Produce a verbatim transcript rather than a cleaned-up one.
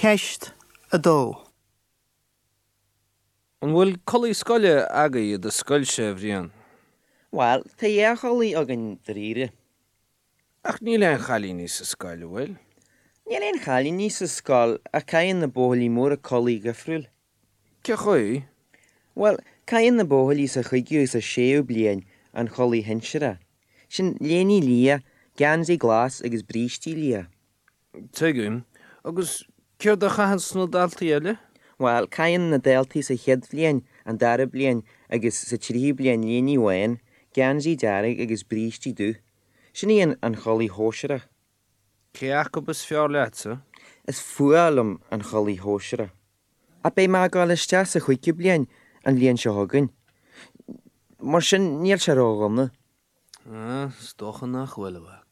Ceist a dó. An bhfuil culaith scoile agaibh i do scoilse, a Bhriain? Bhuel, tá dhá chulaith againn dáiríre. Ach níl aon chailíní sa scoil, an bhfuil? Níl aon chailíní sa scoil ach caitheann na buachaillí móra culaith dhifriúil. Cén chaoi? Bhuel, caitheann na buachaillí sa chúigiú is sa séú bliain an chulaith shinsearach. Sin léine liath, geansaí glas agus brístí liath. Tuigim. Agus céard a chaitheann na daltaí eile? Bhuel, caitheann na daltaí sa chéad bhliain, an dara bliain agus sa tríú bliain léine bhán, geansaí dearg agus brístí dubh. Sin í an chulaith shóisearach. Cé acu is fearr leatsa? Is fuath liom an chulaith shóisearach. Ach beidh mé ag dul isteach sa chúigiú bliain an bhliain seo chugainn. Mar sin níl sé ródhona. Ah, is dócha nach bhfuil, a mhac.